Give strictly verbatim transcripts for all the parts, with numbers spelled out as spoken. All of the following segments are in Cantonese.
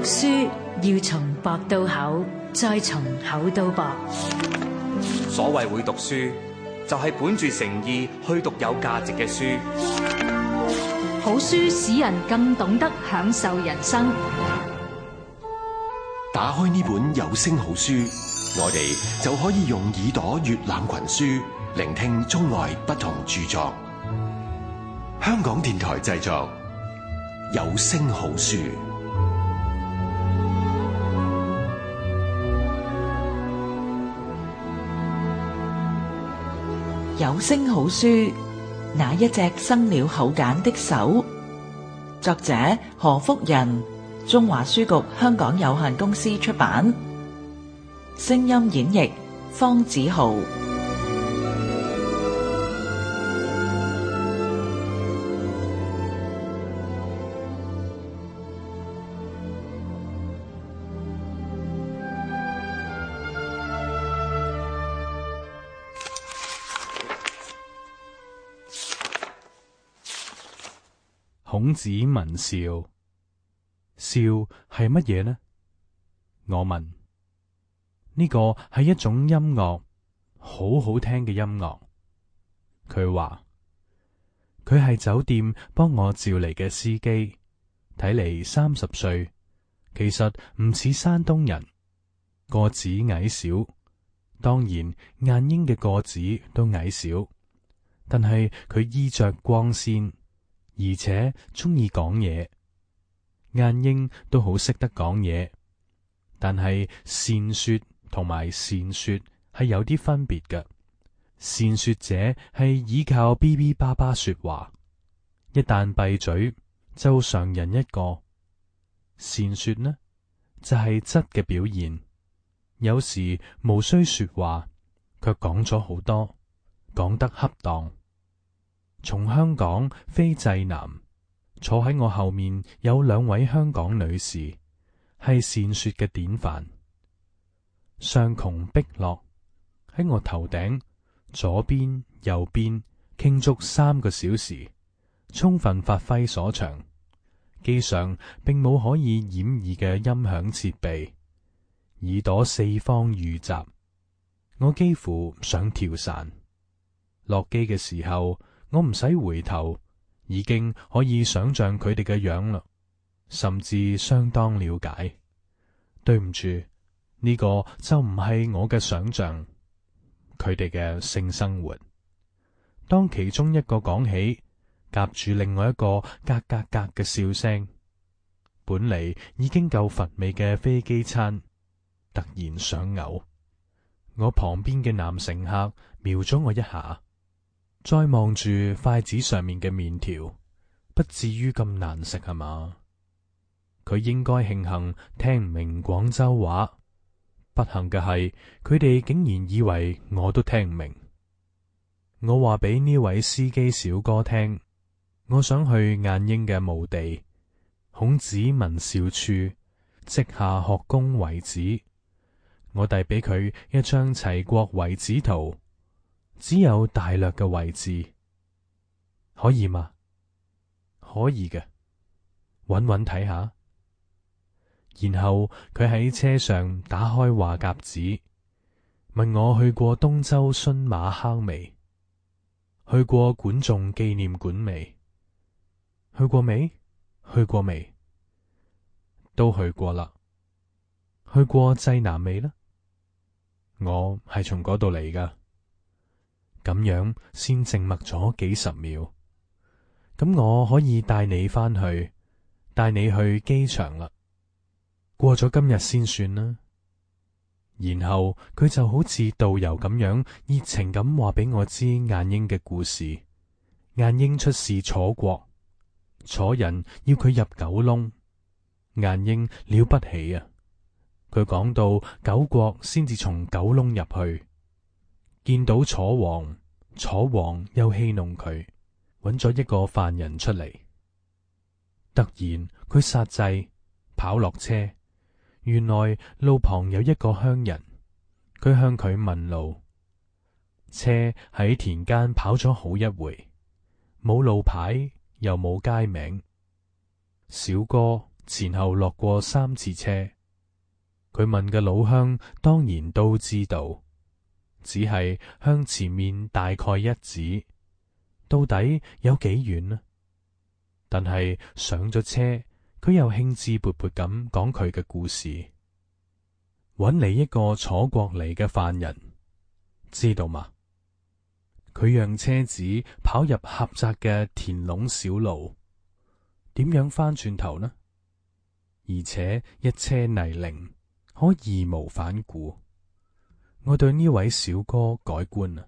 書要從薄到厚，再從厚到薄。所謂會讀書，就係本住誠意去讀有價值嘅書。好書使人更懂得享受人生。打開呢本有聲好書，我哋就可以用耳朵閱覽群書，聆聽中外不同著作。香港電台製作，有聲好書。有聲好書，那一隻生了口繭的手。作者何福仁，中華書局香港有限公司出版。聲音演繹方子豪。孔子問笑，笑係乜嘢呢？我問，呢個係一種音樂，好好聽嘅音樂。佢話，佢係酒店幫我召嚟嘅司機，睇嚟三十歲，其實唔似山東人，個子矮小，當然晏嬰嘅個子都矮小，但係佢衣着光鮮。而且中意講嘢，晏嬰都好識得講嘢，但係善說同埋善說係有啲分別嘅。善說者係依靠嗶嗶叭叭說話，一旦閉嘴就常人一個。善說呢就係質嘅表現，有時無需說話，卻講咗好多，講得恰當。從香港飛濟南，坐喺我後面有兩位香港女士，係善說嘅典範。上窮碧落喺我頭頂，左邊右邊傾足三個小時，充分發揮所長。機上並冇可以掩耳嘅音響設備，耳朵四方遇襲，我幾乎想跳傘。落機嘅時候，我唔使回頭，已經可以想象佢哋嘅樣啦，甚至相當了解。對唔住，呢個就唔係我嘅想象，佢哋嘅性生活。當其中一個講起，夾住另外一個格格格嘅笑聲，本嚟已經夠乏味嘅飛機餐，突然想嘔。我旁邊嘅男乘客瞄咗我一下，再望住筷子上面嘅麵條，不至於咁難食係嘛？佢應該慶幸聽唔明廣州話，不幸嘅係佢哋竟然以為我都聽唔明。我話俾呢位司機小哥聽，我想去晏嬰嘅墓地，孔子問少處，稷下學宮遺址。我遞俾佢一張齊國遺址圖。只有大略嘅位置，可以嗎？可以嘅，搵搵睇下。然後佢喺車上打開話匣子，問我去過東周孫馬坑未？去過管仲紀念館未？去過未？去過未？都去過啦。去過濟南未呢？我係從嗰度嚟噶。咁樣先靜默咗幾十秒，咁我可以帶你返去，帶你去機場啦。過咗今日先算啦。然後佢就好似導遊咁樣熱情咁話俾我知晏嬰嘅故事。晏嬰出使楚國，楚人要佢入九窿，晏嬰了不起啊！佢講到九國先至從九窿入去。見到楚王，楚王又戲弄佢，揾咗一個犯人出嚟。突然佢剎掣，跑落車。原來路旁有一個鄉人，佢向佢問路。車喺田間跑咗好一回，冇路牌又冇街名。小哥前後落過三次車。佢問嘅老鄉當然都知道，只係向前面大概一指，到底有幾遠呢？但係上咗車，佢又興致勃勃咁講佢嘅故事，搵嚟一個楚國嚟嘅犯人，知道嗎？佢讓車子跑入狹窄嘅田壟小路，點樣翻轉頭呢？而且一車泥濘，可義無反顧。我對呢位小哥改觀啦。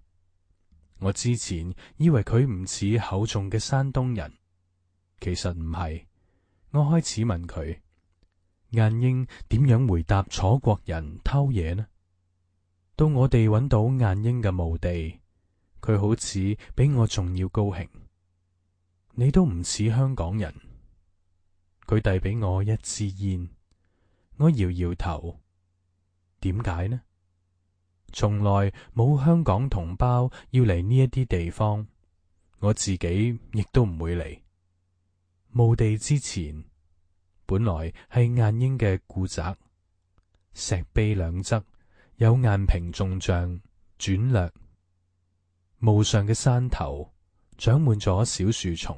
我之前以為佢唔似厚重嘅山東人，其實唔係。我開始問佢，晏嬰點樣回答楚國人偷嘢呢？到我哋揾到晏嬰嘅墓地，佢好似比我仲要高興。你都唔似香港人。佢遞俾我一支煙，我搖搖頭。點解呢？從來冇香港同胞要嚟呢一啲地方，我自己亦都唔會嚟。墓地之前本來係晏嬰嘅故宅，石碑兩側有雁平眾像轉略。墓上嘅山頭長滿咗小樹叢。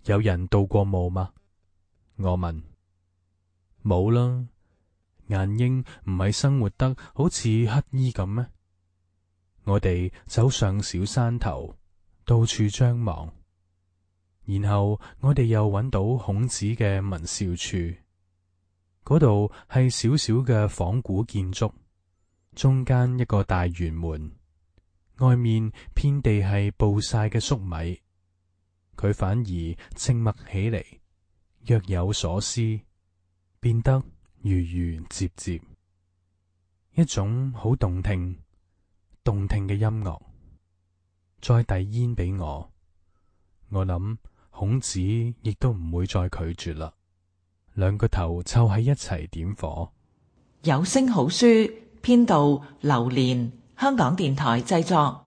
有人到過墓嗎？我問。冇啦。晏嬰唔係生活得好似乞衣咁咩？我哋走上小山頭，到處張望，然後我哋又揾到孔子嘅文兆處，嗰度係小小嘅仿古建築，中間一個大圓門，外面遍地係暴曬嘅粟米。佢反而靜默起嚟，若有所思，變得如如接接，一種好動聽、動聽嘅音樂。再遞煙俾我，我諗孔子亦都唔會再拒絕啦。兩個頭湊喺一齊點火。有聲好書編導劉蓮，香港電台製作。